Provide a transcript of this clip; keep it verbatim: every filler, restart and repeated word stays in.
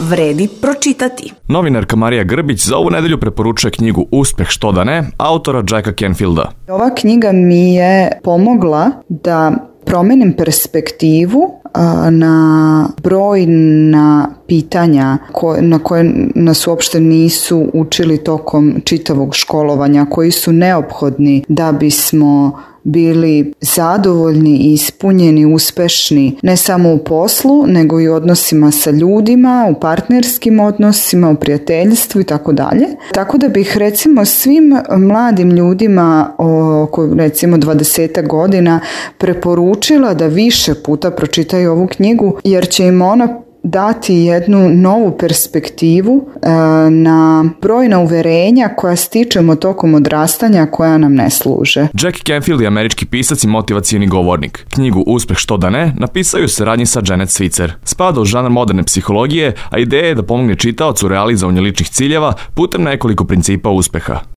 vredi pročitati. Novinarka Marija Grbić za ovu nedelju preporučuje knjigu Uspeh što da ne, autora Jacka Canfielda. Ova knjiga mi je pomogla da promenim perspektivu na brojna pitanja na koje nas uopšte nisu učili tokom čitavog školovanja, koji su neophodni da bismo bili zadovoljni, ispunjeni, uspešni ne samo u poslu, nego i u odnosima sa ljudima, u partnerskim odnosima, u prijateljstvu i tako dalje. Tako da bih recimo svim mladim ljudima oko recimo dvadeset godina preporučila da više puta pročitaju ovu knjigu, jer će im ona dati jednu novu perspektivu e, na brojna uverenja koja stičemo tokom odrastanja, koja nam ne služe. Jack Canfield je američki pisac i motivacioni govornik. Knjigu Uspeh što da ne napisao u saradnji sa Janet Switzer. Spada u žanr moderne psihologije, a ideja je da pomogne čitaocu u realizovanju ličnih ciljeva putem nekoliko principa uspeha.